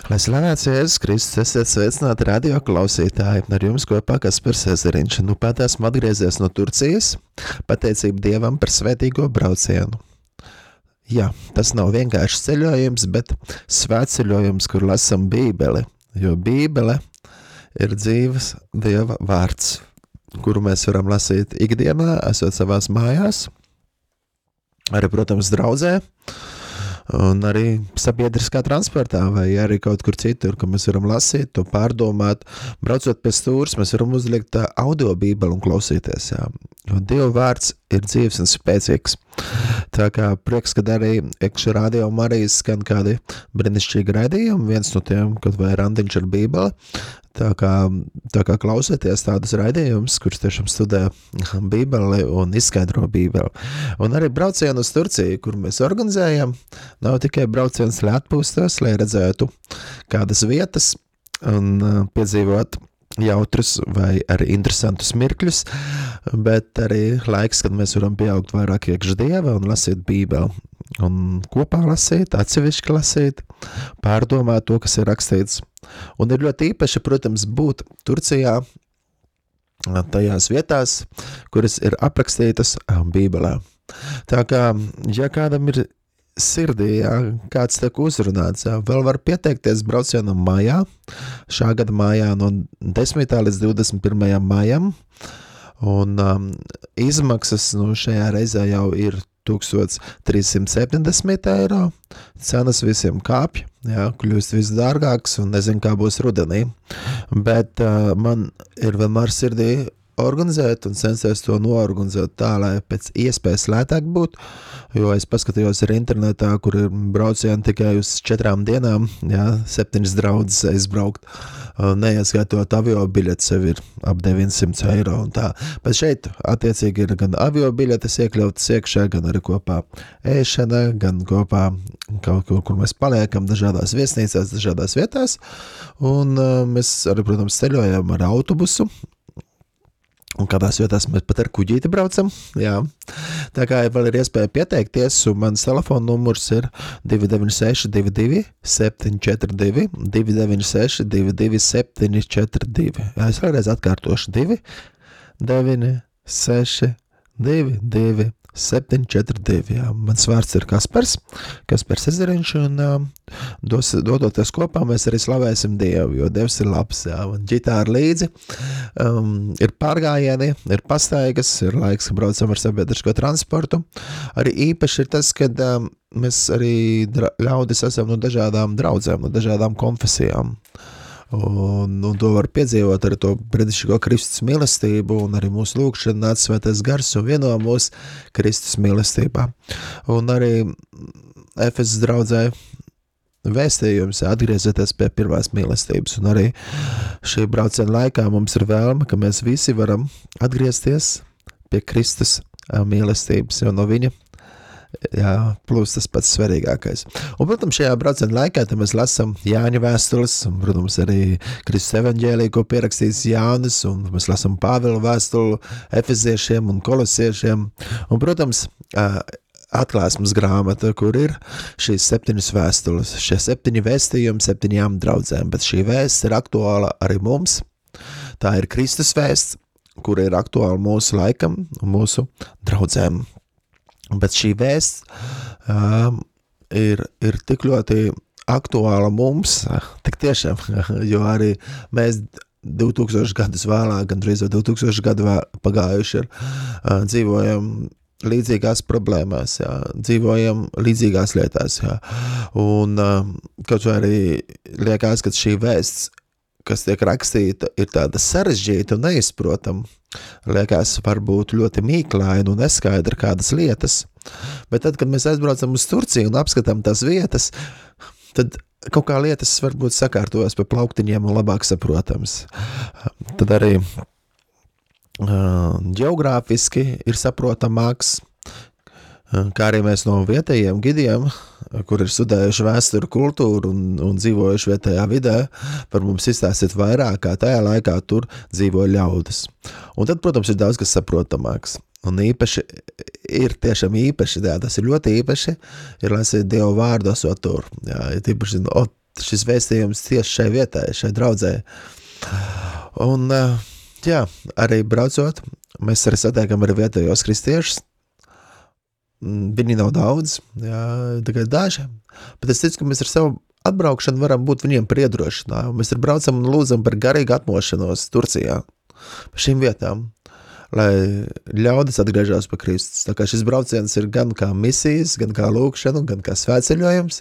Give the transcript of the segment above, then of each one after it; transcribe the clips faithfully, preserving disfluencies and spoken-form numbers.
Lai slavēts Jēzus Kristus, esiet sveicināti radio klausītāji, ar jums kopā Kaspars Ezeriņš. Nu pat esmu atgriezies no Turcijas, pateicību Dievam par svētīgo braucienu. Jā, tas nav vienkārši ceļojums, bet svētceļojums, kur lasam Bībeli, jo Bībele ir dzīves Dieva vārds, kuru mēs varam lasīt ikdienā, esot savās mājās, arī, protams, draudzē, un arī sabiedriskā transportā, vai arī kaut kur citur, ka mēs varam lasīt, to pārdomāt. Braucot pie stūras, mēs varam uzlikt audio bībeli un klausīties, jā. Jo Dieva vārds ir dzīves un spēcīgs. Tā kā prieks, kad arī iekšā radio Marijas skan kādi brīnišķīgi raidījumi, viens no tiem, kad vai randiņš ar bībeli. Tā kā, tā kā klausieties tādus raidījumus, kurus tiešām studē Bībeli un izskaidro Bībeli. Un arī braucienu uz Turciju, kur mēs organizējam, nav tikai brauciens, lai atpūstos, lai redzētu kādas vietas un uh, piedzīvot jautrus vai arī interesantus mirkļus, bet arī laiks, kad mēs varam pieaugt vairāk iekš Dieva un lasīt Bībeli. Un kopā lasīt, atsevišķi lasīt, pārdomāt to, kas ir rakstīts. Un ir ļoti īpaši, protams, būt Turcijā tajās vietās, kuras ir aprakstītas Bībelē. Tā kā, ja kādam ir sirdī, jā, kāds tiek uzrunāts, jā, vēl var pieteikties braucienam mājā, šā gada mājā no desmitā līdz divdesmit pirmajam mājam, un um, izmaksas nu, šajā reizē jau ir tūkstoš trīs simti septiņdesmit eiro, cenas visiem kāpj, jā, kļūst viss dārgāks un nezinu, kā būs rudenī, bet uh, man ir vienmēr sirdī organizēt un censties to noorganizēt tā, lai pēc iespējas lētāk būtu, jo es paskatījos arī internetā, kur ir braucieni tikai uz četrām dienām, jā, septiņas draudzes aizbraukt, neieskaitot avio biļetes sev ir ap deviņsimt eiro un tā, bet šeit attiecīgi ir gan avio biļetes iekļautas iekšā, gan arī kopā ēšana, gan kopā kaut kur, kur mēs paliekam dažādās viesnīcās, dažādās vietās, un uh, mēs arī, protams, ceļojam ar autobusu, un kādās vietās mēs pat ar kuģīti braucam, jā. Tā kā vēl ir iespēja pieteikties, un mans telefona numurs ir divi deviņi seši divi divi septiņi četri divi, divi deviņi seši divi divi septiņi četri divi. Jā, es vēlreiz atkārtošu divi deviņi seši divi divi septiņi četri divi, jā. Mans vārds ir Kaspars, Kaspars Ezeriņš, un uh, dos, dodoties kopā mēs arī slavēsim Dievu, jo Dievs ir labs, jā. Un ģitāra līdzi, um, ir pārgājieni, ir pastaigas, ir laiks, ka braucam ar sabiedrisko transportu. Arī īpaši ir tas, kad um, mēs arī dra- ļaudis esam no dažādām draudzēm, no dažādām konfesijām. Un, un to var piedzīvot ar to brīnišķīgo Kristus mīlestību un arī mūsu lūgšana nāc svētais gars un vieno mūsu Kristus mīlestībā. Un arī Efesas draudzē vēstījums atgriezieties pie pirmās mīlestības. Un arī šī brauciena laikā mums ir vēlme, ka mēs visi varam atgriezties pie Kristus mīlestības, jo no viņa jā, plus tas pats svarīgākais. Un, protams, šajā brauciena laikā mēs lasām Jāņa vēstules, un, protams, arī Kristus evaņģēliju, ko pierakstījis Jānis, un mēs lasām Pāvila vēstuli Efeziešiem un Kolosiešiem. Un, protams, atklāsmes grāmata, kur ir šīs septiņas vēstules, šie septiņi vēstījumi septiņām draudzēm, bet šī vēsts ir aktuāla arī mums. Tā ir Kristus vēsts, kur ir aktuāla mūsu laikam un mūsu draudzēm. Bet šī vēsts um, ir, ir tik ļoti aktuāla mums, tik tiešām, jo arī mēs divi tūkstoši gadus vēlāk, gandrīz divi tūkstoši gadu vēl pagājuši ir, uh, dzīvojam līdzīgās problēmās, jā, dzīvojam līdzīgās lietās, jā. Un uh, kaut vai arī liekas, ka šī vēsts, kas tiek rakstīta, ir tāda sarežģīta un neizprotama. Liekas, varbūt ļoti mīklaina un neskaidra kādas lietas, bet tad, kad mēs aizbraucam uz Turciju un apskatām tās vietas, tad kaut kā lietas varbūt sakārtojas pa plauktiņiem un labāk saprotams. Tad arī uh, ģeogrāfiski ir saprotamāks, kā arī mēs no vietējiem gidiem, kur ir studējuši vēsturi kultūru un, un dzīvojuši vietējā vidē, var mums izstāstīt vairāk, kā tajā laikā tur dzīvoja ļaudis. Un tad, protams, ir daudz, kas saprotamāks. Un īpaši, ir tiešām īpaši, jā, tas ir ļoti īpaši, ir lasīt Dievu vārdu esot tur. Jā, ir īpaši, o, šis vēstījums tieši šai vietai, šai draudzē. Un, jā, arī braucot, mēs arī satiekam arī vietējos kristiešus. Viņi nav daudz, jā, tikai daži, bet es ticu, ka mēs ar savu atbraukšanu varam būt viņiem par iedrošinājumu. Mēs ar braucam un lūdzam par garīgu atmošanos Turcijā, par šīm vietām, lai ļaudis atgriežās pa Kristus. Tā kā šis brauciens ir gan kā misijas, gan kā lūkšana, gan kā svētceļojums.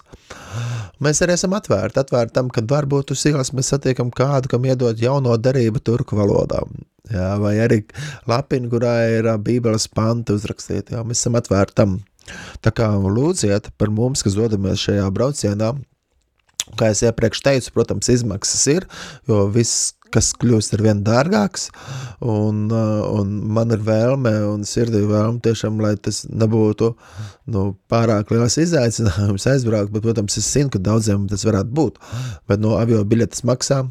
Mēs arī esam atvērti, atvērti tam, kad varbūt uz ielas mēs satiekam kādu, kam iedot jauno darību turku valodā. Jā, vai arī lapini, kurā ir bībeles panti uzrakstīti. Jā, mēs esam atvērti tam. Tā kā lūdziet par mums, kas dodamies šajā braucienā. Kā es iepriekš teicu, protams, izmaksas ir, jo viss, kas kļūst ar vien dārgāks, un, un man ir vēlme un sirdī vēlme tiešām, lai tas nebūtu nu, pārāk liels izaicinājums aizbraukt, bet, protams, es zinu, ka daudziem tas varētu būt, bet no avio biļetes maksā,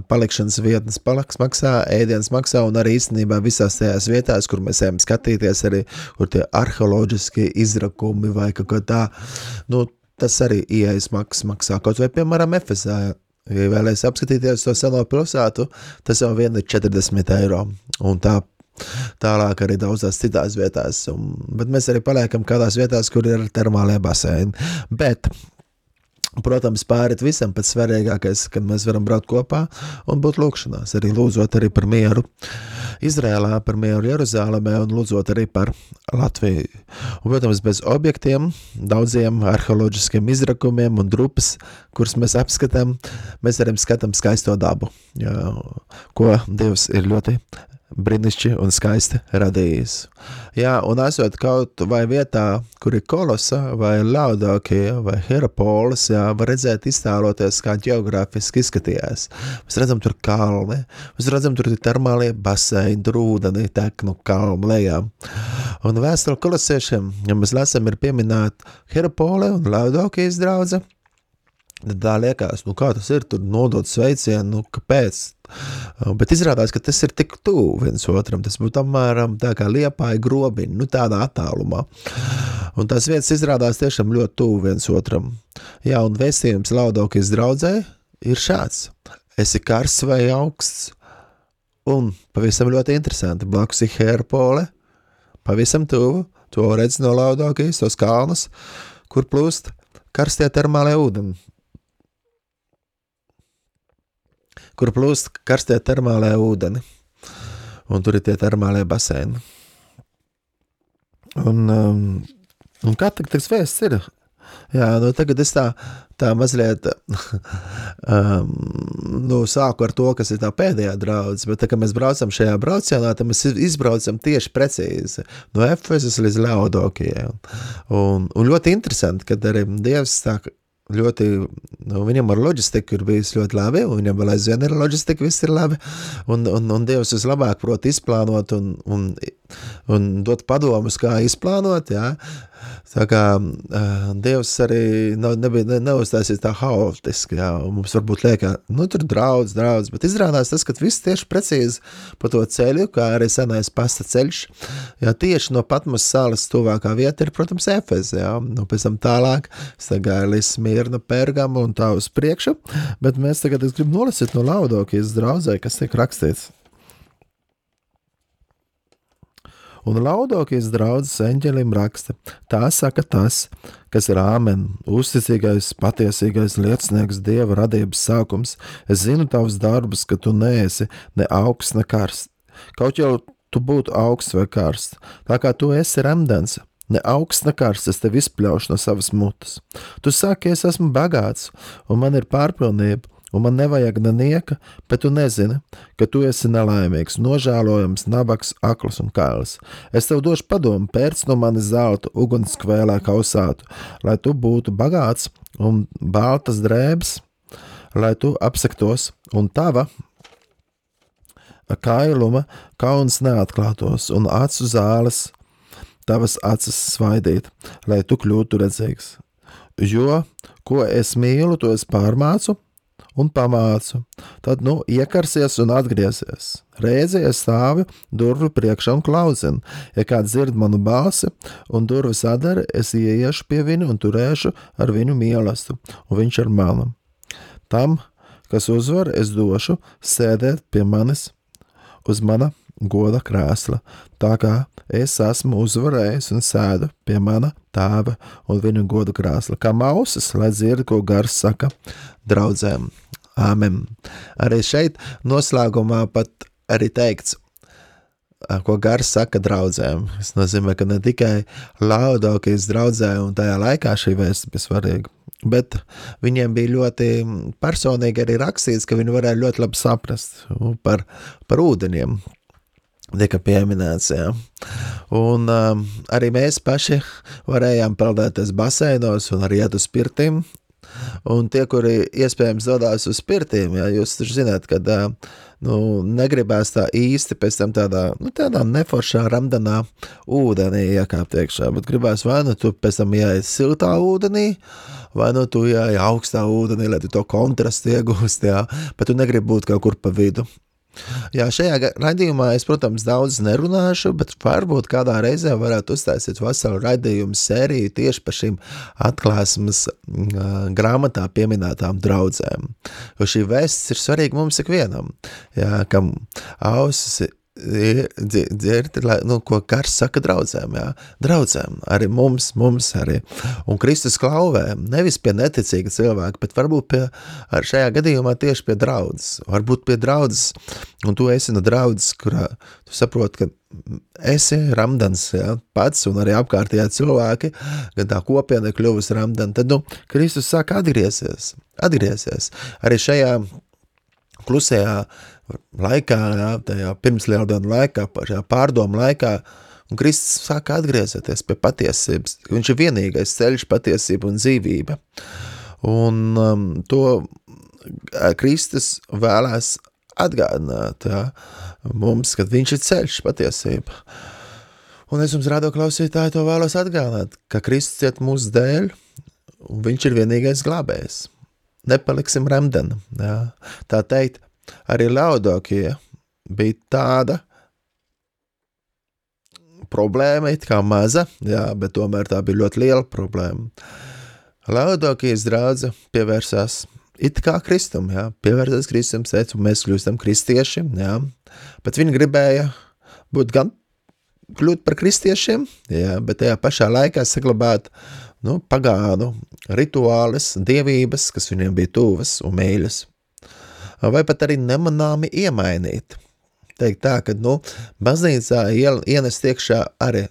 palikšanas vietnes paliks maksā, ēdienas maksā, un arī īstenībā visās tajās vietās, kur mēs ejam skatīties, arī kur tie arheoloģiskie izrakumi vai kaut kā tā, nu, tas arī ieejas maksas maksā, kaut vai, piemēram, Efesā. Ja vēlēs apskatīties to seno pilsētu, tas jau vien ir četrdesmit eiro, un tā tālāk arī daudzās citās vietās, un, bet mēs arī paliekam kādās vietās, kur ir termālie baseini, bet, protams, pārit visam pats svarīgākais, kad mēs varam braukt kopā un būt lūkšanās, arī lūdzot arī par mieru Izrēlā, par mieru Jeruzālemē un lūdzot arī par Latviju. Un, protams, bez objektiem, daudziem arheoloģiskiem izrakumiem un drupas, kuras mēs apskatām, mēs arī skatām skaisto dabu, jā, ko Dievs ir ļoti brīnišķi un skaisti radījis. Jā, un esot kaut vai vietā, kur ir Kolosa, vai Laudokija, vai Hierapolis, jā, var redzēt iztēloties, kā ģeogrāfiski izskatījās. Mēs redzam tur kalni, mēs redzam tur termālie baseini, tur ūdeni tek no kalnu lejā. Un vēstuli kolosiešiem, ja mēs lasam, ir pieminēt Hierapoli un Laudokijas draudze, tad tā liekas, nu kā tas ir, tur nodot sveicienu, nu kāpēc? Bet izrādās, ka tas ir tik tuvu viens otram, tas būtu apmēram tā kā Liepāja grobiņi, nu tādā attālumā. Un tās vietas izrādās tiešām ļoti tuvu viens otram. Jā, un vēstījums Laudokijas draudzē ir šāds. Esi karsts vai augsts, un pavisam ļoti interesanti, blakus ir Hierapole, pavisam tuvu, to redz no Laudokijas, tos kalnus, kur plūst karstie termālie ūdeni. kur plūst karstie termālē ūdeni, un tur ir tie termālie baseini. Un, um, un kā tak tas vēsts ir? Jā, nu tagad es tā, tā mazliet um, nu, sāku ar to, kas ir tā pēdējā draudze, bet tā, ka mēs braucam šajā braucienā, tad mēs izbraucam tieši precīzi no Efesas līdz Laudokijai. Un, un ļoti interesanti, kad arī Dievs tā ļoti, nu, viņam ar loģistiku ir bijis ļoti labi, un viņam vēl aizvien ir loģistika, viss ir labi, un, un, un Dievs vislabāk prot izplānot un, un, un dot padomus, kā izplānot, jā. Tā kā uh, Dievs arī nav, nebija, ne, neuztaisīs tā haotiski, jā, un mums varbūt liekā, nu, tur draudz, draudz, bet izrādās tas, ka viss tieši precīzi pa to ceļu, kā arī senais pasta ceļš, jā, tieši no Patmos salas tuvākā vieta ir, protams, Efes, jā, nu, pēc tam tālāk, es tā gāju līdz Smirna, Pergamu un tā uz priekšu, bet mēs tagad, es gribu nolasīt no Laudokijas draudzē, kas tiek rakstīts. Un Laudokijas draudzes eņģelim raksta, tā saka tas, kas ir āmen, uzticīgais, patiesīgais liecinieks Dieva radības sākums. Es zinu tavus darbus, ka tu neesi ne augsts, ne karsts. Kaut jau tu būtu augsts vai karsts, tā kā tu esi remdens, ne augsts, ne karsts, es tev izpļaušu no savas mutes. Tu saki, es esmu bagāts, un man ir pārpilnība, un man nevajag nenieka, bet tu nezini, ka tu esi nelaimīgs, nožēlojams, nabaks, akls un kails. Es tev došu padomu, pērc no mani zeltu, ugunskvēlē kausātu, lai tu būtu bagāts un baltas drēbes, lai tu apsektos, un tava kailuma kauns neatklātos, un acu zāles tavas acis svaidīt, lai tu kļūtu redzīgs. Jo, ko es mīlu, to es pārmācu, un pamācu. Tad, nu, iekarsies un atgriezies. Reizi es stāvu durvi priekšā un klaudzinu. Ja kāds dzird manu balsi un durvis atdara, es ieiešu pie viņu un turēšu ar viņu mīlestību, un viņš ar mani. Tam, kas uzvar, es došu sēdēt pie manis uz mana goda krēsla, tā kā es esmu uzvarējis un sēdu pie mana tēva un viņa goda krēsla. Kā mausas, lai dzird, ko gars saka draudzēm. Āmen. Arī šeit noslēgumā pat arī teikts, ko gars saka draudzēm. Tas nozīmē, ka ne tikai Laodikijas draudzē un tajā laikā šī vēsts bija svarīga, bet viņiem bija ļoti personīgi arī rakstīts, ka viņi varēja ļoti labi saprast par, par ūdeņiem. Tika pieminēts, jā. Un um, arī mēs paši varējām peldēties baseinos un arī iet uz pirtīm. Un tie, kuri iespējams dodās uz pirtīm, jā, jūs taču zināt, ka nu, negribēs tā īsti pēc tam tādā, nu, tādā neforšā ramdanā ūdenī iekāpt iekšā, bet gribēs vai nu tu pēc tam jāiet siltā ūdenī, vai nu tu jāiet augstā ūdenī, lai tu to kontrastu iegūst, jā, bet tu negribi būt kaut kur pa vidu. Jā, šajā raidījumā es, protams, daudz nerunāšu, bet varbūt kādā reizē varētu uztaisīt veselu raidījumu sēriju tieši par šīm atklāsmes uh, grāmatā pieminētām draudzēm. Jo šī vēsts ir svarīga mums ikvienam, jā, kam ausis dzird, nu, ko gars saka draudzēm, jā. Draudzēm, arī mums, mums arī. Un Kristus klauvē, nevis pie neticīga cilvēka, bet varbūt pie, ar šajā gadījumā tieši pie draudzes. Varbūt pie draudzes, un tu esi no draudzes, kurā tu saproti, ka esi ramdans, jā, pats, un arī apkārtējā cilvēki, gan tā kopiena kļuvusi ramdan, tad, nu, Kristus saka atgriezies, atgriezies. Arī šajā klusajā laikā, jā, tajā pirmslieldienu laikā, šajā pārdomu laikā, un Kristus sāka atgriezties pie patiesības. Viņš ir vienīgais ceļš, patiesība un dzīvība. Un um, to Kristus vēlēs atgādināt, jā, mums, kad viņš ir ceļš, patiesība. Un es jums, radio klausītāji, to vēlos atgādināt, ka Kristus ciet mūsu dēļ, un viņš ir vienīgais glābējs. Nepaliksim remdeni, jā. Tā teikt, arī Laodikija bija tāda problēma, it kā maza, jā, bet tomēr tā bija ļoti liela problēma. Laodikijas draudze pievērsās it kā Kristum, jā, pievērsās Kristum, teica, un mēs kļūstam kristieši, jā, bet viņi gribēja būt gan kļūt par kristiešiem, jā, bet tajā pašā laikā saglabāt, nu, pagānu rituāles, dievības, kas viņiem bija tuvas un mīļas. Vai pat arī nemanāmi iemainīt. Teikt tā, ka, nu, baznīcā ienest iekšā arī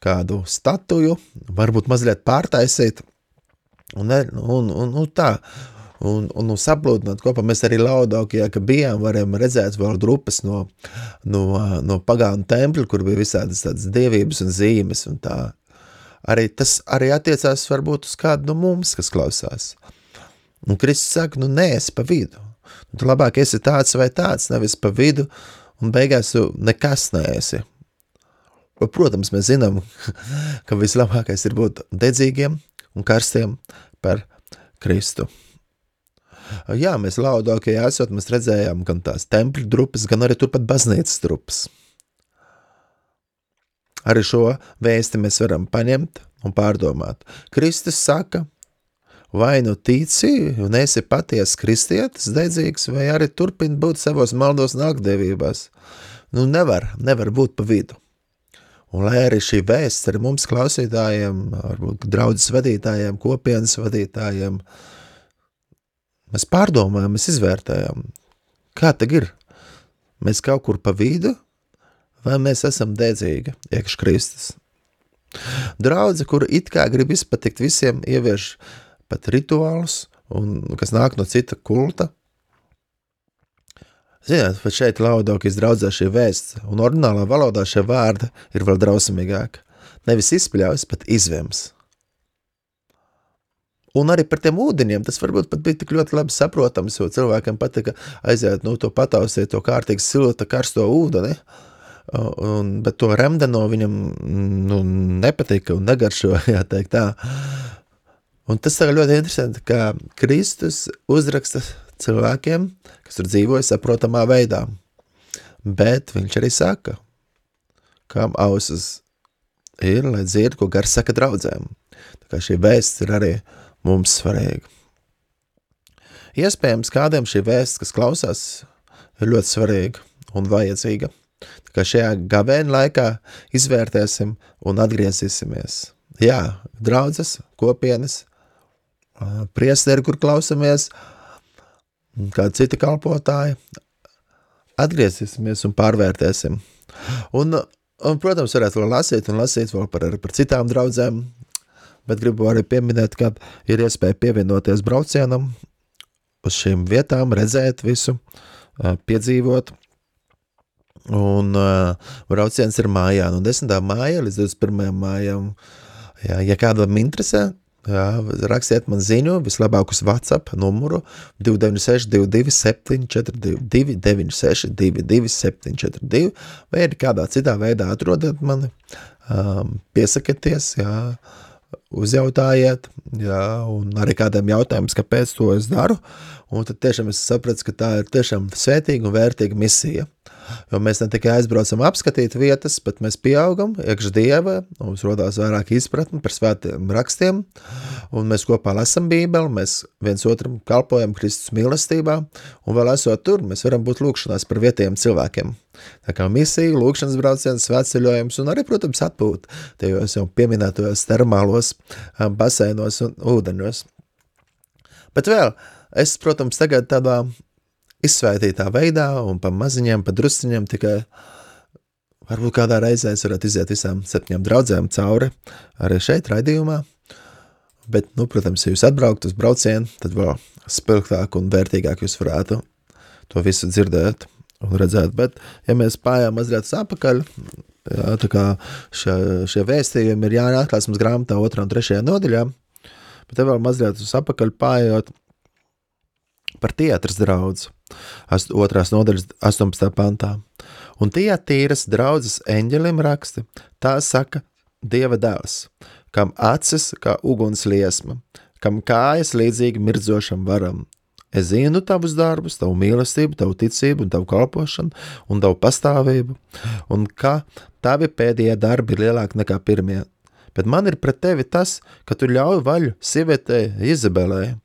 kādu statuju, varbūt mazliet pārtaisīt, un, un, un, un tā, un, un, un saplūdināt kopā. Mēs arī Laodikijā, ka bijām, varam redzēt vēl grupas no, no, no pagānu tempļu, kur bija visādas tādas dievības un zīmes, un tā. Arī tas arī attiecās varbūt uz kādu no mums, kas klausās. Un Kristus saka, nu, neesi pa vidu. Tu labāk esi tāds vai tāds, nevis pa vidu, un beigās tu nekas neesi. Protams, mēs zinām, ka vislabākais ir būt dedzīgiem un karstiem par Kristu. Jā, mēs Laodikijā esot, mēs redzējām gan tās tempļu drupas, gan arī turpat baznīcas drupas. Arī šo vēsti mēs varam paņemt un pārdomāt. Kristus saka, vai nu tici un esi paties kristietis, dedzīgs, vai arī turpini būt savos maldos un akdevībās. Nu, nevar, nevar būt pa vidu. Un lai arī šī vēsts arī mums klausītājiem, varbūt draudzes vadītājiem, kopienas vadītājiem, mēs pārdomājam, mēs izvērtējam, kā tag ir? Mēs kaut kur pa vidu, vai mēs esam dedzīgi iekš Kristus? Draudze, kura it kā grib izpatikt visiem, ievieš pat rituālus, un, kas nāk no cita kulta. Ziniet, pat šeit Laodikijas draudzē šī vēsts, un oriģinālā valodā šie vārdi ir vēl drausmīgāk. Nevis izpļaus, pat izvems. Un arī par tiem ūdeņiem, tas varbūt pat bija tik ļoti labi saprotams, jo cilvēkiem patika aiziet, nu, to pataustīt, to kārtīgi silta, karsto ūdeni, un, bet to remdeno viņam, nu, nepatika un negaršo, jāteikt tā. Un tas ir ļoti interesanti, ka Kristus uzraksta cilvēkiem, kas tur dzīvoja saprotamā veidā. Bet viņš arī saka, kam ausis ir, lai dzird, ko gars saka draudzēm. Tā kā šī vēsts ir arī mums svarīga. iespējams kādiem šī vēsts, kas klausās, ir ļoti svarīga un vajadzīga. Tā kā šajā gavēņa laikā izvērtēsim un atgriezīsimies. Jā, draudzes, kopienas, priesteri, kur klausamies, kādi citi kalpotāji, atgriezīsimies un pārvērtēsim. Un, un protams, varētu vēl lasīt un lasīt vēl par, par citām draudzēm, bet gribu arī pieminēt, ka ir iespēja pievienoties braucienam uz šīm vietām, redzēt visu, piedzīvot. Un uh, brauciens ir mājā, no desmitā māja līdz divdesmit pirmajam mājam. Jā, ja kādam interesē, jā, rakstiet man ziņu, vislabāk uz WhatsApp numuru divi deviņi seši divi divi septiņi četri divi, divi deviņi seši divi divi septiņi četri divi, vai arī kādā citā veidā atrodiet mani, um, piesakieties, jā, uzjautājiet, jā, un arī kādiem jautājums, kāpēc to es daru, un tad tiešām es sapratu, ka tā ir tiešām svētīga un vērtīga misija. Jo mēs ne tikai aizbraucam apskatīt vietas, bet mēs pieaugam iekš Dieva, mums rodās vairāk izpratni par svētiem rakstiem, un mēs kopā lasam Bībeli, mēs viens otram kalpojam Kristus mīlestībā, un vēl esot tur, mēs varam būt lūkšanās par vietējiem cilvēkiem. Tā kā misija, lūkšanas brauciens, svētceļojums un arī, protams, atpūt tajos jau pieminētojos termālos baseinos un ūdeņos. Bet vēl, es, protams, tagad tādā izsvētītā veidā un pa maziņiem, pa drusciņiem tikai varbūt kādā reizē es varētu iziet visām septiņām draudzēm cauri arī šeit raidījumā, bet, nu, protams, ja jūs atbraukt uz braucienu, tad vēl spilgtāk un vērtīgāk jūs varētu to visu dzirdēt un redzēt, bet, ja mēs pājām mazliet uz apakaļ, jā, tā kā šie, šie vēstījumi ir jāatklāsmas grāmatā otrā un trešajā nodaļā, bet te vēl mazliet uz apakaļ pājot par Tiatras draudzi, otrās nodaļas astoņpadsmitā pantā. Un Tiatīras draudzes eņģelim raksti, tā saka Dieva dēls, kam acis kā uguns liesma, kam kājas līdzīgi mirdzošam varam. Es zinu tavus darbus, tavu mīlestību, tavu ticību un tavu kalpošanu un tavu pastāvību, un ka tavi pēdējie darbi ir lielāki nekā pirmie. Bet man ir pret tevi tas, ka tu ļauj vaļu sievietei Izabelē,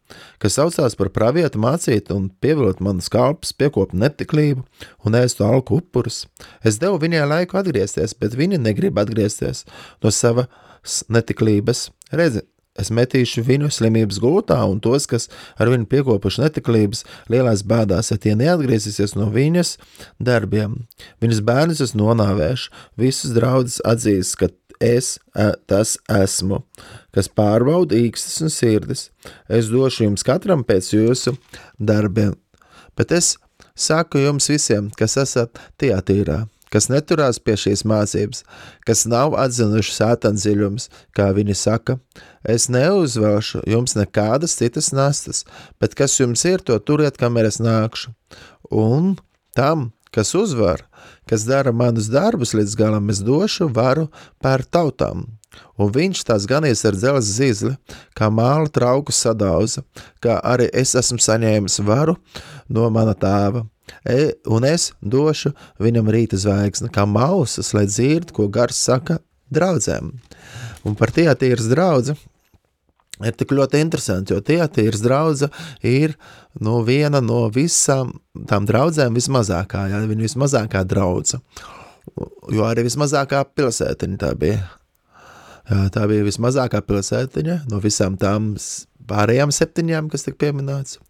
kas saucās par pravietu mācīt un pievilot manas kalpus, piekop netiklību un ēstu alku upurus. Es devu viņai laiku atgriezties, bet viņa negrib atgriezties no savas netiklības. Redzi, es metīšu viņu slimības gultā un tos, kas ar viņu piekopuši netiklības, lielās bēdās, ja tie neatgriezīsies no viņas darbiem. Viņas bērnus es nonāvēšu, visus draudzes atzīs, ka es tas esmu, kas pārbauda īkstas un sirdis. Es došu jums katram pēc jūsu darbiem. Bet es saku jums visiem, kas esat Tiatīrā, kas neturās pie šīs mācības, kas nav atzinuši sātana dziļums, kā viņi saka, es neuzvelšu jums nekādas citas nastas, bet kas jums ir, to turiet, kamēr es nākšu. Un tam, kas uzvar, kas dara manus darbus līdz galam, es došu varu pār tautām. Un viņš tās ganīs ar dzelzs zizli, kā māla trauku sadauza, kā arī es esmu saņēmis varu no mana tēva. E, un es došu viņam rīta zvaigzni, kā mausas, lai dzird, ko gars saka draudzēm. Un par Tiatīras draudzi ir tik ļoti interesanti, jo Tiatīras draudze ir no viena no visām tām draudzēm vismazākā, jā, viņa vismazākā draudze, jo arī vismazākā pilsētiņa tā bija. Jā, tā bija vismazākā pilsētiņa no visām tām pārējām septiņām, kas tik pieminēts.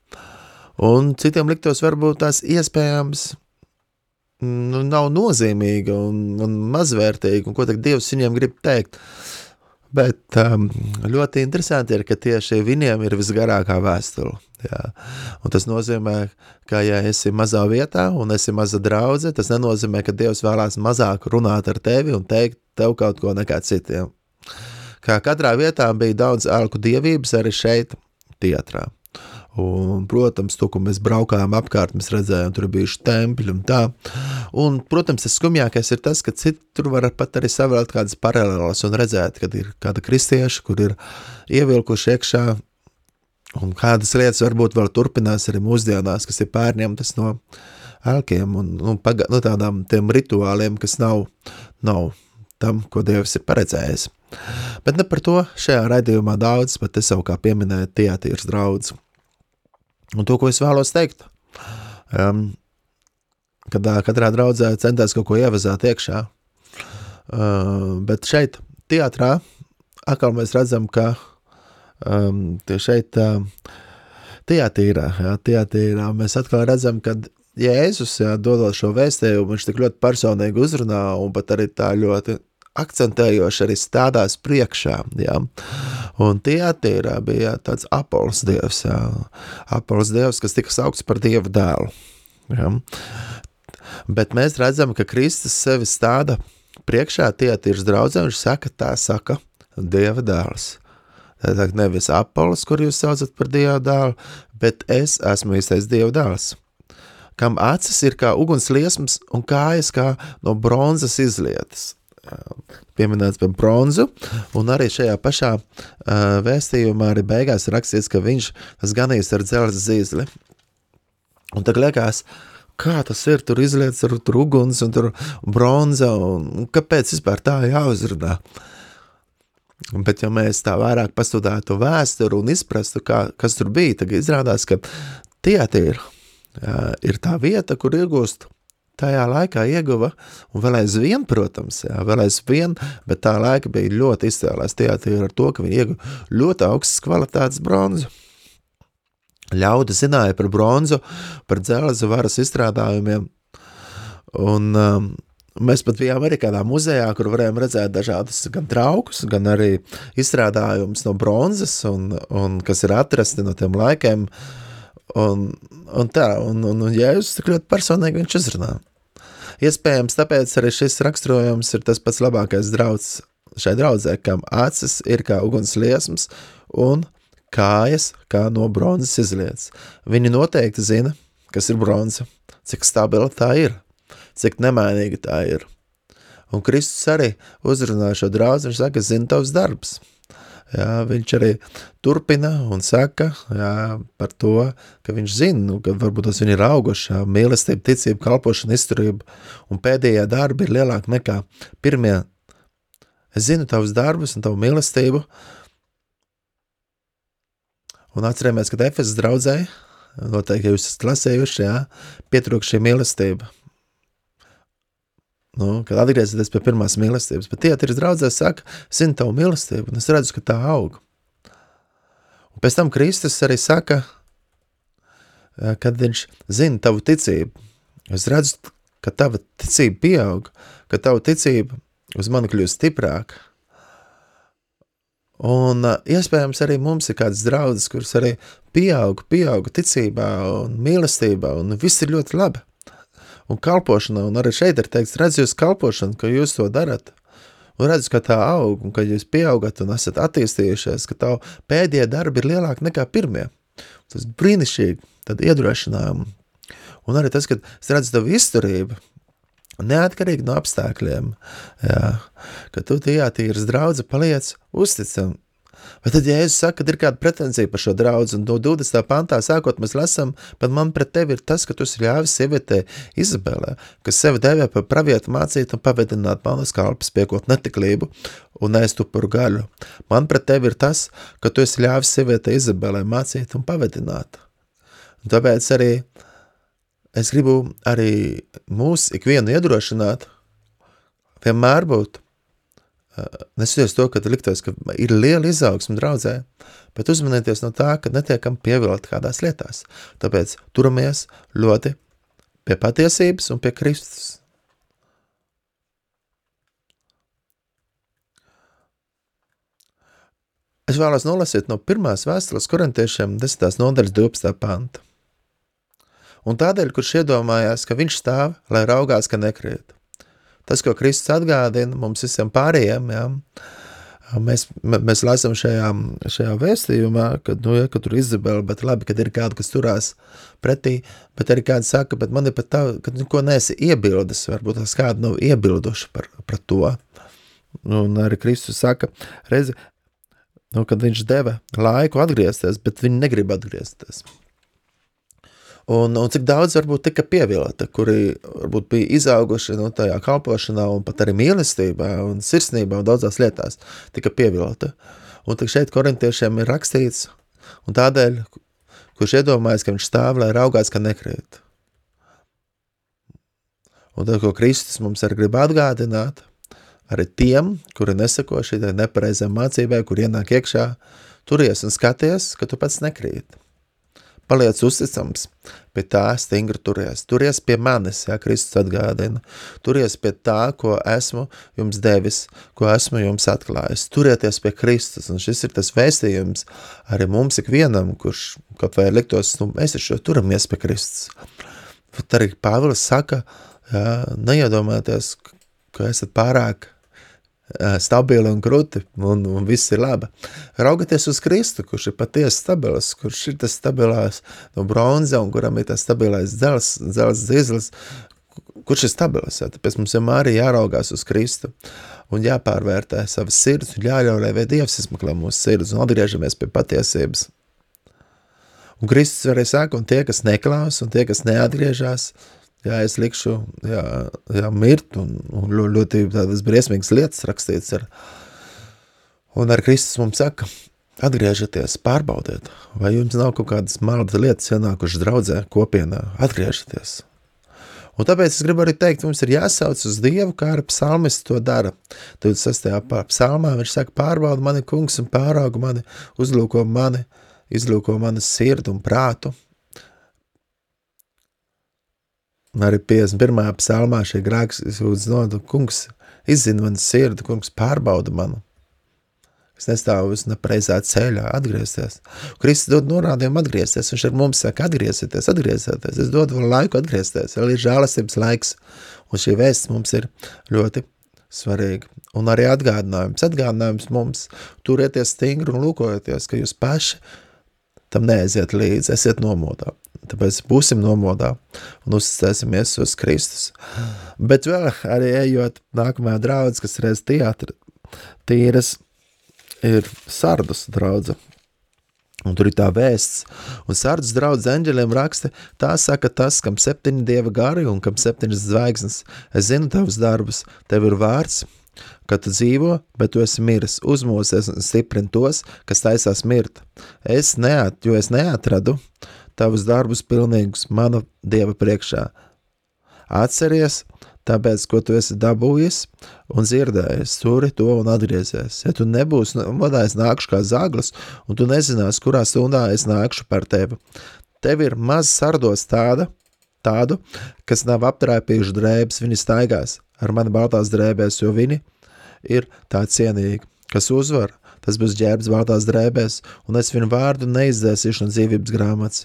Un citiem liktos varbūt tās iespējams nu, nav nozīmīga un, un mazvērtīga, un ko tak Dievs viņiem grib teikt. Bet um, ļoti interesanti ir, ka tieši viņiem ir visgarākā vēstule. Jā. Un tas nozīmē, ka ja esi mazā vietā un esi maza draudze, tas nenozīmē, ka Dievs vēlās mazāk runāt ar tevi un teikt tev kaut ko nekā citiem. Kā katrā vietā bija daudz ārku dievības arī šeit Tiatrā. Un, protams, to, ko mēs braukājām apkārt, mēs redzējām, tur bijuši tempļi un tā. Un, protams, tas skumjākais ir tas, ka citur var pat arī savēlēt kādas paralēlas un redzēt, kad ir kāda kristieša, kur ir ievilkuši iekšā, un kādas lietas varbūt vēl turpinās arī mūsdienās, kas ir pārņemtas no ēlkiem un, un paga, no tādām tiem rituāliem, kas nav, nav tam, ko Dievs ir paredzējis. Bet ne par to šajā raidījumā daudz, bet es jau kā pieminēju Tiatīras draudzi. Un to, ko es vēlos teikt, um, kad uh, katrā draudzē centās kaut ko ievazāt iekšā. Uh, bet šeit, teatrā, atkal mēs redzam, ka um, šeit uh, teatīrā, jā, teatīrā mēs atkal redzam, ka Jēzus, jā, dodot šo vēstījumu, viņš tik ļoti personīgi uzrunā un pat arī tā ļoti akcentējoši arī stādās priekšā, jā. Un teatīrā bija tāds Apols dievs, jā. Apols dievs, kas tika saukts par Dieva dēlu, jā. Bet mēs redzam, ka Kristus sevi stāda priekšā teatīras draudzē, viņš saka, tā saka Dieva dēls. Tā nevis Apols, kur jūs saucat par Dieva dēlu, bet es esmu īstais Dieva dēls, kam acis ir kā uguns liesmas un kājas kā no bronzas izlietas. Pieminēts par bronzu, un arī šajā pašā uh, vēstījumā arī beigās rakstīts, ka viņš tas ganīs ar dzelzs zīzli. Un tagad liekas, kā tas ir, tur izlietas ar tur uguns un tur bronza, un, un kāpēc vispār tā jāuzrunā? Bet ja mēs tā vairāk pastudētu vēsturu un izprastu, kā, kas tur bija, tad izrādās, ka teatīra jā, ir tā vieta, kur iegūst tajā laikā ieguva, un vēl aizvien, protams, jā, vēl aizvien, bet tā laika bija ļoti izcēlās teatīra ar to, ka viņi ieguva ļoti augstas kvalitātes bronzu. Ļaudi zināja par bronzu, par dzelza varas izstrādājumiem, un um, mēs pat bijām arī kādā muzejā, kur varējām redzēt dažādas gan traukus, gan arī izstrādājumus no bronzas, un, un kas ir atrasti no tiem laikiem, Un, un tā, un, un, un Jēzus tik ļoti personīgi viņš uzrunā. Iespējams, tāpēc arī šis raksturojums ir tas pats labākais drauds šai draudzē, kam acis ir kā uguns liesmas un kājas kā no bronzas izlietas. Viņi noteikti zina, kas ir bronza, cik stabila tā ir, cik nemainīga tā ir. Un Kristus arī uzrunā šo draudzi, viņš saka, zina tavs darbs. Jā, viņš arī turpina un saka jā, par to, ka viņš zina, nu, ka varbūt tas viņi ir auguši, mīlestība, ticība, kalpošana, izturība, un pēdējā darba ir lielāka nekā pirmie. Es zinu tavus darbus un tavu mīlestību, un atcerēmies, ka Efesas draudzē, noteikti jūs esat lasējuši, jā, pietrūk šī mīlestība. Nu, kad atgriezieties pie pirmās mīlestības, bet teatīras draudzē saka, zinu tavu mīlestību, un es redzu, ka tā aug. Un pēc tam Kristus arī saka, kad viņš zina tavu ticību, es redzu, ka tava ticība pieaug, ka tava ticība uz mani kļūst stiprāka. Un iespējams arī mums ir kāds draudzes, kuras arī pieaug, pieaug ticībā un mīlestībā, un viss ir ļoti labi. Un kalpošana, un arī šeit ir teikts, redz jūs kalpošanu, ka jūs to darat, un redz, ka tā aug, un ka jūs pieaugat un esat attīstījušies, ka tavu pēdējie darbi ir lielāki nekā pirmie. Tas brīnišķīgi, tad iedrošinājumi. Un arī tas, ka es redzu tavu izturību, neatkarīgi no apstākļiem, jā, ka tu teatīras draudze paliec uzticam. Bet tad, ja Jēzus saka, ka ir kāda pretenzija par šo draudzi, un no divdesmitā pantā sākot mēs lasam, bet man pret tevi ir tas, ka tu esi ļāvis sievietē Izabelē, kas sevi devē par pravietu mācīt un pavedināt manas kalpes, piekot netiklību un ēst upuru gaļu. Man pret tevi ir tas, ka tu esi ļāvis sievietē Izabelē mācīt un pavedināt. Un tāpēc arī es gribu arī mūs ikvienu iedrošināt, vienmēr būt, nesoties to, ka liktos, ka ir liela izaugsme draudzē, bet uzmanieties no tā, ka netiekam pievilti kādās lietās. Tāpēc turamies ļoti pie patiesības un pie Kristus. Es vēlos nolasīt no pirmās vēstules korintiešiem desmitās nodaļas divpadsmitā panta. Un tādēļ, kurš iedomājās, ka viņš stāv, lai raugās, ka nekrīt. Tas, ko Kristus atgādina mums visiem pārējiem, jā, mēs, mēs lasam šajā, šajā vēstījumā, kad, nu, ja, ka tur Izabela, bet labi, kad ir kāda, kas turās pretī, bet arī kāda saka, bet man ir pat tā, ka neko neesi iebildes, varbūt tās kāda nav iebilduši par, par to. Un arī Kristus saka, reizi, nu, kad viņš deva laiku atgriezties, bet viņi negrib atgriezties. Un, un cik daudz varbūt tika pievilta, kuri varbūt bija izauguši no tajā kalpošanā un pat arī mīlestībā un sirsnībā un daudzās lietās tika pievilta. Un tik šeit korintiešiem ir rakstīts, un tādēļ, kurš iedomājas, ka viņš stāv, lai raugās, ka nekrīt. Un tad, ko Kristus mums arī grib atgādināt, arī tiem, kuri nesako šī nepareizā mācībai, kur ienāk iekšā, turies un skaties, ka tu pats nekrīt. Paliec uzticams, pie tā stingri turies. Turies pie manis, jā, Kristus atgādina. Turies pie tā, ko esmu jums devis, ko esmu jums atklājis. Turieties pie Kristus, un šis ir tas vēstījums arī mums ikvienam, kurš kaut vai liktos, nu, mēs ar šo turamies pie Kristus. Tad arī Pāvils saka, jā, neiedomāties, ka esat pārāk stabili un kruti, un, un viss ir laba. Raugaties uz Kristu, kurš ir patiesi stabils, kurš ir tas stabilās no bronza, un kuram ir tas stabilais dzels, dzels dzizlis, kurš ir stabilis. Jā. Tāpēc mums vienmēr ir jāraugās uz Kristu un jāpārvērtē savas sirds, un jāļauj, lai Dievs izmeklē mūsu sirds, un atgriežamies pie patiesības. Un Kristus arī saka, un tie, kas neklaus, un tie, kas neatgriežās, jā, es likšu, jā, jā mirt, un, un ļoti tādas briesmīgas lietas rakstīts ar. Un ar Kristus mums saka, atgriežaties, pārbaudiet, vai jums nav kaut kādas maldas lietas ienākušas draudzē, kopienā, atgriežaties. Un tāpēc es gribu arī teikt, mums ir jāsauc uz Dievu, kā arī psalmists to dara. divdesmit sestajā psalmā viņš saka, pārbauda mani kungs un pārauga mani, uzlūko mani, izlūko mani sirdu un prātu. Un arī piecdesmit pirmajā psalmā šie grēks sūdz nodu, kungs izzina mani sirdi, kungs pārbauda manu. Es nestāvu visu nepareizā ceļā, atgriezties. Kristus dod norādījumu atgriezties, viņš ar mums saka, atgriezieties, atgriezieties. Es dodu vēl laiku atgriezties, vēl ir žēlastības laiks, un šī vēsts mums ir ļoti svarīga. Un arī atgādinājums, atgādinājums mums, turieties stingri un lūkojieties, ka jūs paši tam neaiziet līdzi, esiet nomodā. Tāpēc būsim nomodā un uzticēsimies uz Kristus. Bet vēl arī ejot nākamajā draudze, kas reiz teātra tīras, ir Sardus draudze. Un tur ir tā vēsts. Un Sardus draudze eņģeļiem raksta, tā saka tas, kam septiņi dieva gari un kam septiņas zvaigznes. Es zinu tavus darbus, tev ir vārds, ka tu dzīvo, bet tu esi miris, uzmosies un stiprini tos, kas taisās mirt. Es neat, jo es neatradu tavus darbus pilnīgus mana Dieva priekšā. Atceries, tāpēc, ko tu esi dabūjis un dzirdējis, turi to un atgriezies. Ja tu nebūsi modā, es nākšu kā zaglis, un tu nezinās, kurā stundā es nākšu par tevi. Tev ir maz sardos tāda, tādu, kas nav aptrēpījuši drēbes, viņi staigās ar mani baltās drēbēs, jo viņi ir tā cienīgi, kas uzvar. Tas būs ģērbs baltās drēbēs, un es viņu vārdu neizdzēsīšu no dzīvības grāmatas.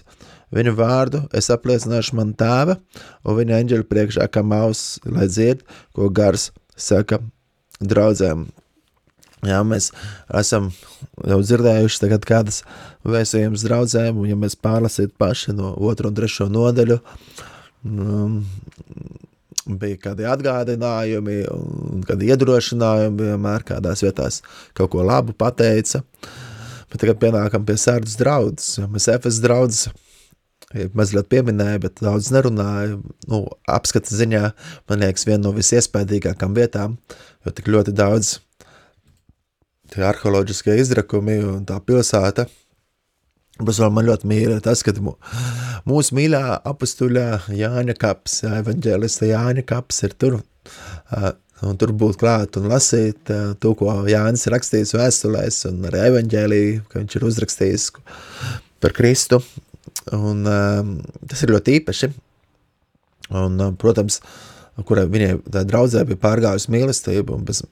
Viņu vārdu es apliecināšu man tēva, un viņa eņģeļu priekšā kā maus, lai dzird, ko gars saka draudzēm. Jā, mēs esam jau dzirdējuši tagad kādas vēstījumas draudzēm, un ja mēs pārlasītu paši no otru un trešo nodaļu, um, bija kādi atgādinājumi un kādi iedrošinājumi, vienmēr kādās vietās kaut ko labu pateica. Bet tagad pienākam pie Sardus draudzes. Mēs Efes draudzes mazliet pieminēja, bet daudz nerunāja. Nu, apskata ziņā, man liekas, viena no visiespēdīgākām vietām, jo tik ļoti daudz tie arheoloģiskie izrakumi un tā pilsēta. Bet vēl man ļoti mīļa tas, ka mūsu mīļā apustuļā Jāņa kaps, evaņģēlista Jāņa kaps ir tur, un tur būt klāt un lasīt to, ko Jānis rakstījis vēstulēs, un arī evaņģēlī, ka viņš ir uzrakstījis par Kristu, un tas ir ļoti īpaši, un, protams, kurai viņai tā draudzē bija pārgājusi mīlestība, un, bez,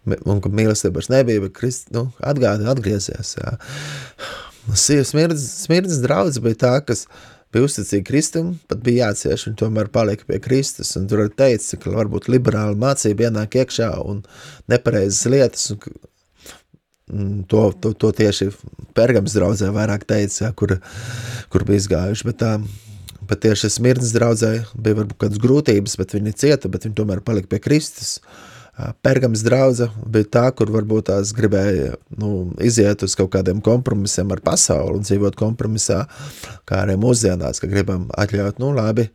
un ka mīlestība vairs nebija, bet Kristu, nu, atgādi, atgriezies, jā. Smirdzes, smirdzes draudze bija tā, kas bija uzticīga Kristum, pat bija jācieš, un tomēr palika pie Kristus, un tur arī teica, ka varbūt liberāla mācība ienāk iekšā un nepareizas lietas, un to, to, to tieši Pergams draudzē vairāk teica, jā, kur, kur bija izgājuši, bet tā, bet tieši smirdzes draudzē bija varbūt kādas grūtības, bet viņi cieta, bet viņi tomēr palika pie Kristus. Pergams draudze bija tā, kur varbūt tās gribēja nu, iziet uz kaut kādiem kompromisiem ar pasauli un dzīvot kompromisā, kā arī mūsdienās, ka gribam atļaut, nu labi,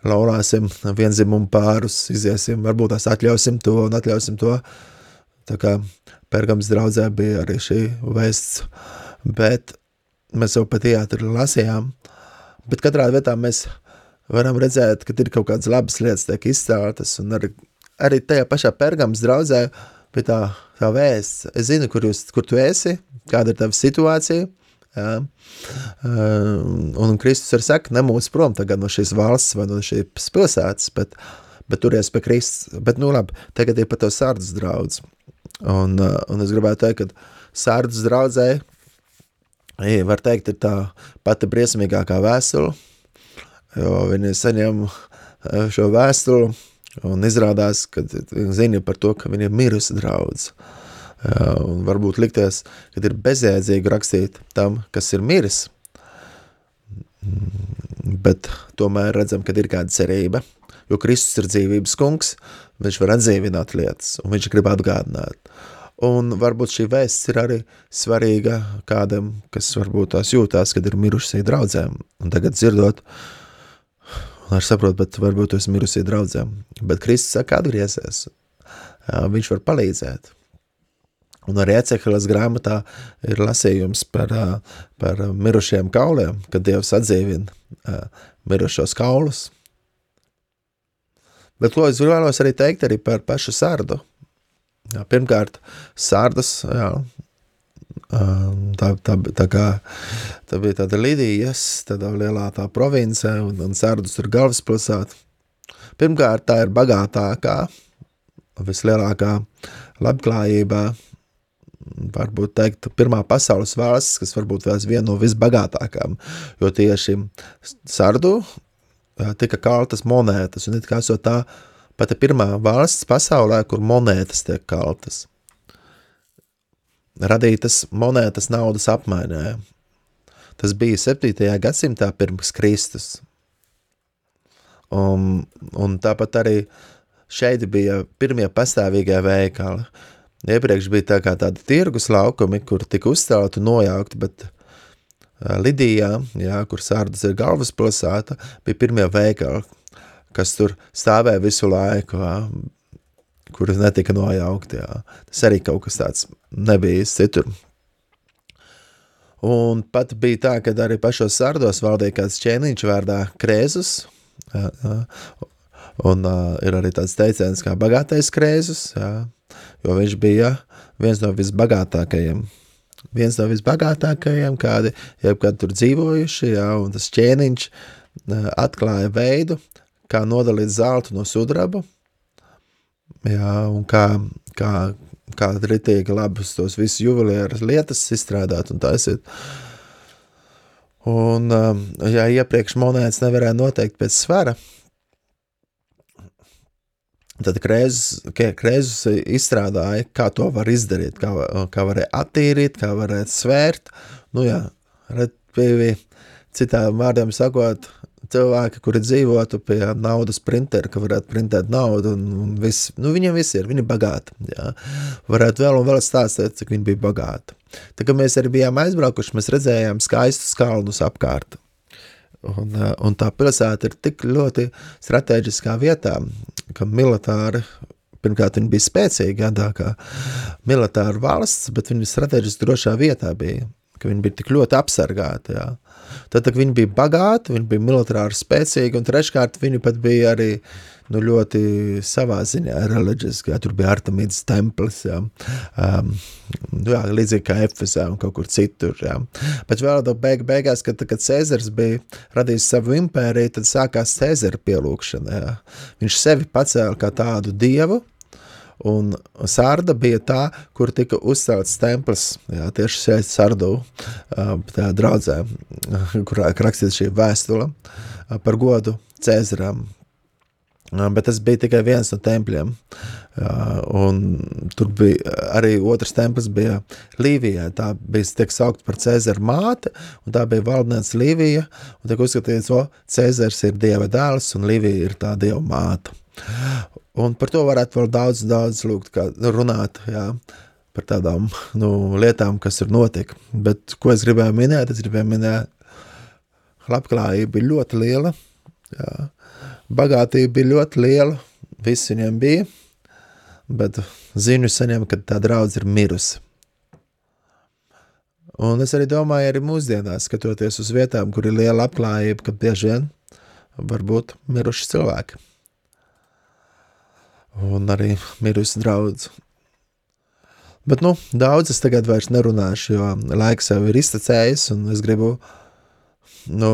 laulāsim vienzimumu pārus, iziesim, varbūt tās atļausim to un atļausim to. Tā kā Pergams draudzē bija arī šī vēsts, bet mēs jau pa teātri lasījām, bet katrā vietā mēs varam redzēt, ka ir kaut kādas labas lietas tiek izcēltas, un arī, arī tajā pašā Pergams draudzē pie tā, tā vēsts. Es zinu, kur, jūs, kur tu esi, kāda ir tava situācija, jā. Un Kristus arī saka, nemūs prom tagad no šīs valsts vai no šīs pilsētas, bet, bet turies pie Kristus. Bet, nu labi, tagad ir par to Sardas draudz. Un, un es gribētu teikt, ka Sardas draudzē, var teikt, ir tā pati briesmīgākā vēstule, jo viņi saņem šo vēstuli un izrādās, ka zina par to, ka viņi ir mirusi draudz. Un varbūt likties, ka ir bezjēdzīgi rakstīt tam, kas ir miris, bet tomēr redzam, ka ir kāda cerība, jo Kristus ir dzīvības kungs, viņš var atdzīvināt lietas, un viņš grib atgādināt. Un varbūt šī vēsts ir arī svarīga kādam, kas varbūt tās jūtās, kad ir mirušie draudzēm, un tagad dzirdot, un ar saprot, bet varbūt tu esi mirusie draudzēm, bet Kristus saka, atgriezies, viņš var palīdzēt. Un arī Eceheles grāmatā ir lasījums par, par mirušiem kauliem, kad Dievs atdzīvina mirušos kaulus. Bet ko es vēlos arī teikt arī par pašu Sardu. Jā, pirmkārt, Sardas, jā, tā, tā, tā, kā, tā bija tāda Lidijas, tāda lielā tā province, un, un Sardus ir galvaspilsēta. Pirmkārt, tā ir bagātākā, vislielākā labklājībā, varbūt teikt, pirmā pasaules valsts, kas varbūt vēl viena no visbagātākām, jo tieši Sardu tika kaltas monētas, un it kā esot tā pati pirmā valsts pasaulē, kur monētas tiek kaltas. Radītas monētas naudas apmainē. Tas bija septītajā gadsimtā pirms Kristus. Un, un tāpat arī šeit bija pirmie pastāvīgie veikali. Iepriekš bija tā kā tādi tirgus laukumi, kur tika uzstāti un nojaukti, bet Lidijā, jā, kur Sardas ir galvaspilsēta, bija pirmie veikali, kas tur stāvēja visu laiku, jā, kur netika nojaukti. Jā. Tas arī kaut kas tāds nebija citur. Un pat bija tā, ka arī pašos Sardos valdīja kāds ķēniņš vārdā Krēzus, jā, jā. Un uh, ir arī tāds teiciens kā bagātais Krēzus, jā. Jo viņš bija viens no visbagātākajiem. Viens no visbagātākajiem, kādi jebkad tur dzīvojuši, jā, un tas ķēniņš atklāja veidu, kā nodalīt zeltu no sudraba, jā, un kā, kā, kā ritīgi labus tos visus juvelieras lietas izstrādāt un taisīt. Un, ja iepriekš monētas nevarēja noteikt pēc svara, tad Krēzus, Krēzus izstrādāja, kā to var izdarīt, kā, kā varēja attīrīt, kā varētu svērt. Nu jā, bija citām vārdiem sakot, cilvēki, kuri dzīvotu pie naudas printera, ka varētu printēt naudu, un, un viss, nu viņiem viss ir, viņi ir bagāti, jā. Varētu vēl un vēl stāstīt, cik viņi bija bagāti. Tā kā mēs arī bijām aizbraukuši, mēs redzējām skaistus kalnus apkārt. Un, un tā pilsēta ir tik ļoti strateģiskā vietā, ka militāri, pirmkārt viņi bija spēcīgi, jā, kā militāra valsts, bet viņi strateģiski drošā vietā bija, ka viņi bija tik ļoti apsargāti, jā. Tad, kad viņi bija bagāti, viņi bija militāri spēcīgi, un treškārt viņi pat bija arī, nu, ļoti savā ziņā reliģiski, jā, tur bija Artemidas templis, jā, um, jā, līdzīgi kā Efesā un kaut kur citur, jā. Bet vēl beig, beigās, kad, kad Cēzars bija radījis savu impēriju, tad sākās Cēzara pielūkšana, jā. Viņš sevi pacēla kā tādu dievu, un Sarda bija tā, kur tika uzcelts templis, jā, tieši šeit Sardu, tā draudzē, kurā rakstīts šī vēstule par godu Cēzaram. Bet tas bija tikai viens no tempļiem, un tur bija arī otrs templis bija Līvijā, tā bija tiek saukt par Cēzara māte, un tā bija valdniece Līvija, un tiek uzskatīts, o, Cēzars ir dieva dēls, un Līvija ir tā dieva māte. Un par to varētu vēl daudz, daudz lūgt, kā runāt, jā, par tādām, nu, lietām, kas ir notika. Bet, ko es gribēju minēt, es gribēju minēt, labklājība bija ļoti liela, jā, bagātība bija ļoti liela, viss viņiem bija, bet ziņu saņem, ka tā draudze ir mirusi. Un es arī domāju, arī mūsdienās, skatoties uz vietām, kur ir liela labklājība, ka bieži vien var būt miruši cilvēki. Un arī mirusi draudz. Bet, nu, daudz es tagad vairs nerunāšu, jo laiks jau ir iztecējis, un es gribu, nu,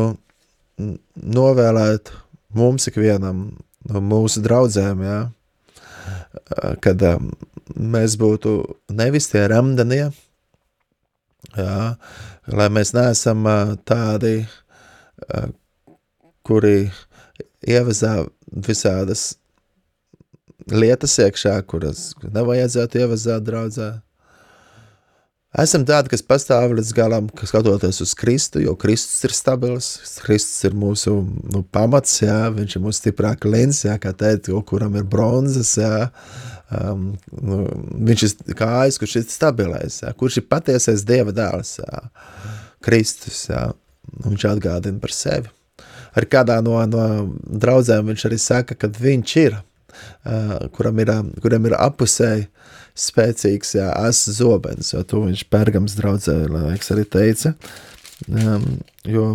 novēlēt mums ikvienam, nu, mūsu draudzēm, jā, kad um, mēs būtu nevis tie remdenie, jā, lai mēs neesam uh, tādi, uh, kuri ievezā visādas lietas iekšā, kuras nevajadzētu ievazāt draudzē. Esam tādi, kas pastāv līdz galam, kas skatoties uz Kristu, jo Kristus ir stabils, Kristus ir mūsu nu, pamats, jā, viņš ir mūsu stiprā klins, jā, kā teikt, kuram ir bronzas, jā, um, nu, viņš ir kājas, kurš ir stabilais, jā, kurš ir patiesais Dieva dēls, jā, Kristus, jā, viņš atgādina par sevi. Ar kādā no, no draudzēm viņš arī saka, kad viņš ir, Uh, kuram ir, kuram ir apusēji spēcīgs, jā, as zobens, jo to viņš Pergams draudzē, laiks arī teica, um, jo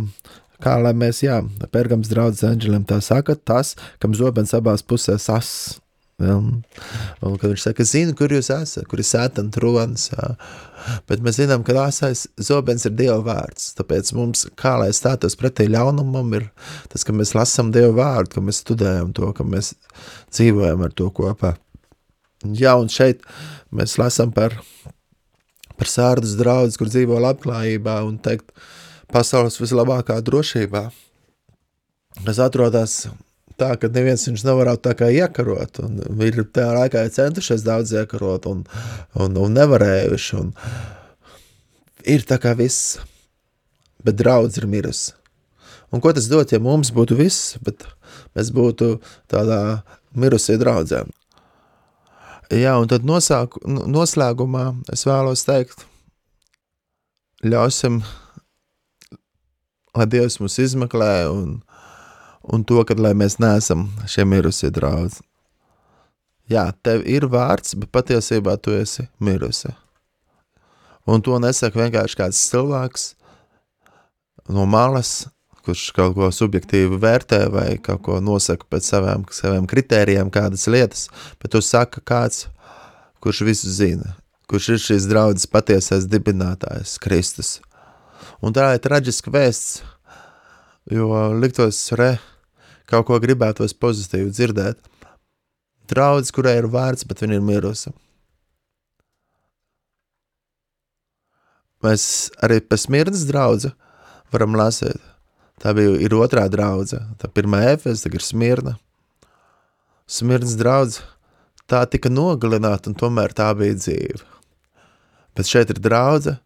kā lai mēs, jā, Pergams draudzē Anģelim tā saka, tas, kam zobens abās pusēs as, jā, un kad viņš saka, zinu, kur jūs esat, kur ir sētan tronis, jā, bet mēs zinām, ka asais zobens ir Dieva vārds, tāpēc mums, kā lai stātos pretī ļaunumam, ir tas, ka mēs lasam Dieva vārdu, ka mēs studējam to, ka mēs dzīvojam ar to kopā. Jā, un šeit mēs lasam par, par Sārdas draudzi, kur dzīvo labklājībā un teikt pasaules vislabākā drošībā, kas atrodas tā, ka neviens viņš nevarētu tā kā iekarot, un ir tajā laikā centušies daudz iekarot, un, un, un nevarējuši, un ir tā kā viss, bet draudz ir mirusi. Un ko tas dot, ja mums būtu viss, bet mēs būtu tādā mirusie draudzē? Jā, un tad nosāku, noslēgumā es vēlos teikt, ļausim, lai Dievs mūs izmeklē, un un to, kad lai mēs neesam šie mirusie draudzi. Jā, tev ir vārds, bet patiesībā tu esi mirusi. Un to nesaka vienkārši kāds cilvēks no malas, kurš kaut ko subjektīvi vērtē vai kaut ko nosaka pēc saviem, saviem kritērijiem kādas lietas, bet tu saka kāds, kurš visu zina, kurš ir šīs draudzes patiesais dibinātājs, Kristus. Un tā ir traģiska vēsts, jo liktos re, kaut ko gribētos pozitīvi dzirdēt. Draudz, kurai ir vārds, bet viņa ir mirusi. Mēs arī pa Smirnas draudzi varam lasīt. Tā bija ir otrā draudze. Tā pirmā Efes, tā ir Smirna. Smirnas draudze, tā tika nogalināta un tomēr tā bija dzīve. Bet šeit ir draudze,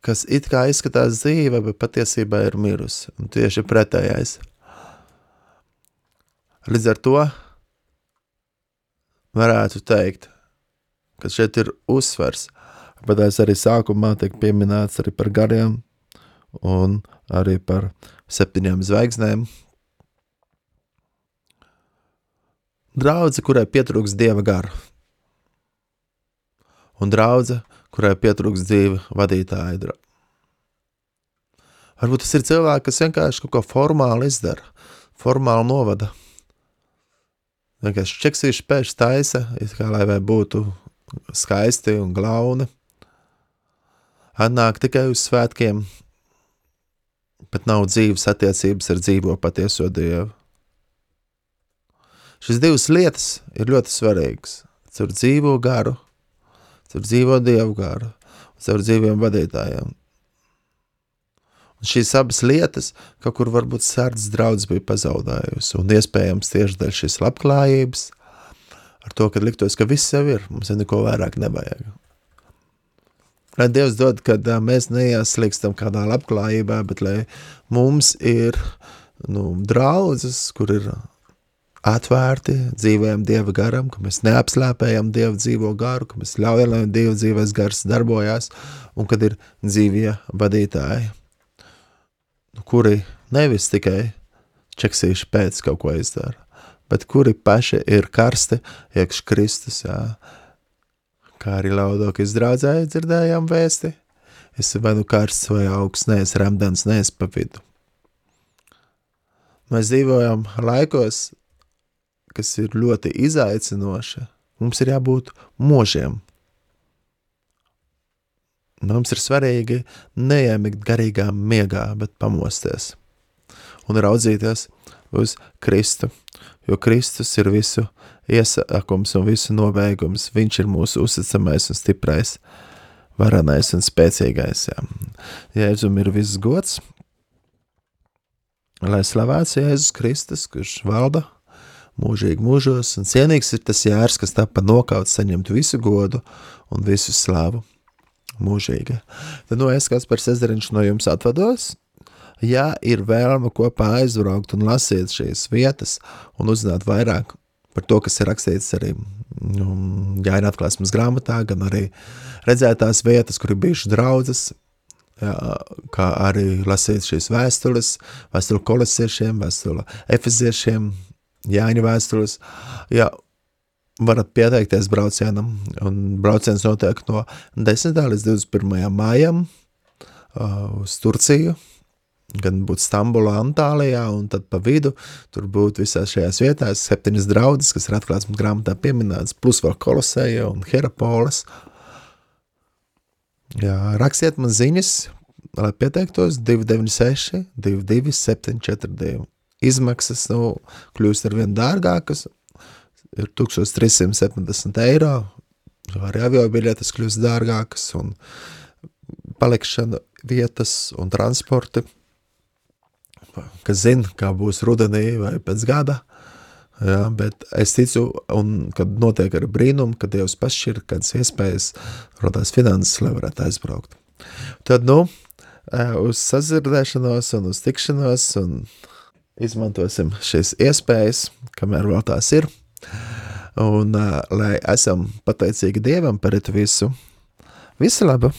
kas it kā izskatās dzīve, bet patiesībā ir mirusi. Un tieši pretējais. Līdz ar to varētu teikt, ka šeit ir uzsvers, bet es arī sākumā tiek pieminēts arī par gariem un arī par septiņām zvaigznēm. Draudze, kurai pietrūks Dieva gara. Un draudze, kurai pietrūks dzīve vadītāja. Varbūt tas ir cilvēki, kas vienkārši kaut ko formāli izdara, formāli novada. Vienkārši čeksīši pēc taisa, kā lai vai būtu skaisti un glauni. Atnāk tikai uz svētkiem, bet nav dzīves attiecības ar dzīvo patieso Dievu. Šis divas lietas ir ļoti svarīgas. Caur dzīvo garu, caur dzīvo Dievu garu, caur dzīviem vadītājiem. Un šīs abas lietas, kaut kur varbūt Sārdas draudz bija pazaudējusi, un iespējams tieši dēļ šīs labklājības, ar to, kad liktos, ka viss jau ir, mums jau neko vairāk nevajag. Lai Dievs dod, kad mēs neieslīkstam kādā labklājībā, bet lai mums ir nu, draudzes, kur ir atvērti, dzīvējam Dieva garam, ka mēs neapslēpējam Dievu dzīvo garu, ka mēs ļaujam, lai Dieva dzīves gars darbojās, un kad ir dzīvie vadītāji, kuri nevis tikai čeksīši pēc kaut ko izdara, bet kuri paši ir karsti iekš Kristus, jā. Kā arī Laudokijas draudzē dzirdējām vēsti, esi vai nu karsts vai augsts, neesi remdens, neesi pa vidu. Mēs dzīvojam laikos, kas ir ļoti izaicinoši. Mums ir jābūt mūžiem. Mums ir svarīgi neiemigt garīgā miegā, bet pamosties un raudzīties uz Kristu, jo Kristus ir visu iesākums un visu nobeigums. Viņš ir mūsu uzticamais un stiprais, varenais un spēcīgais. Jā. Jēzum ir viss gods, lai slavēts Jēzus Kristus, kurš valda mūžīgi mūžos, un cienīgs ir tas jērs, kas tapa nokauts saņemt visu godu un visu slavu mūžīgi. Tad no es, Kaspars Ezeriņš, no jums atvados. Ja ir vēlme kopā aizbraukt un lasīt šīs vietas un uzzināt vairāk par to, kas ir rakstīts arī um, Jāņa atklāsmes grāmatā, gan arī redzēt tās vietas, kur ir bijuši draudzes, jā, kā arī lasīt šīs vēstules, vēstuli kolosiešiem, vēstuli efeziešiem, Jāņa vēstules, jā, varat pieteikties braucienam, un brauciens notiek no desmitā līdz divdesmit pirmajam mājam uh, uz Turciju, gan būt Stambulā, Antālijā, un tad pa vidu tur būt visās šajās vietās septiņas draudzes, kas ir atklāsmes grāmatā pieminētas, plus vēl Koloseja un Hierapolis. Jā, rakstiet man ziņas, lai pieteiktos divi deviņi seši, divi divi septiņi četri divi. Izmaksas, nu, kļūst ar vien dārgākas, ir tūkstoš trīs simti septiņdesmit eiro, arī avio biļetes kļūst dārgākas, un palikšana vietas un transporti, kas zina, kā būs rudenī vai pēc gada, jā, bet es ticu, un kad notiek arī brīnumi, kad Dievs pašķir, kādas iespējas rodās finanses, lai varētu aizbraukt. Tad, nu, uz sazirdēšanos un uz tikšanos, un izmantosim šīs iespējas, kamēr vēl tās ir, un lai esam pateicīgi Dievam par visu. Visu labu!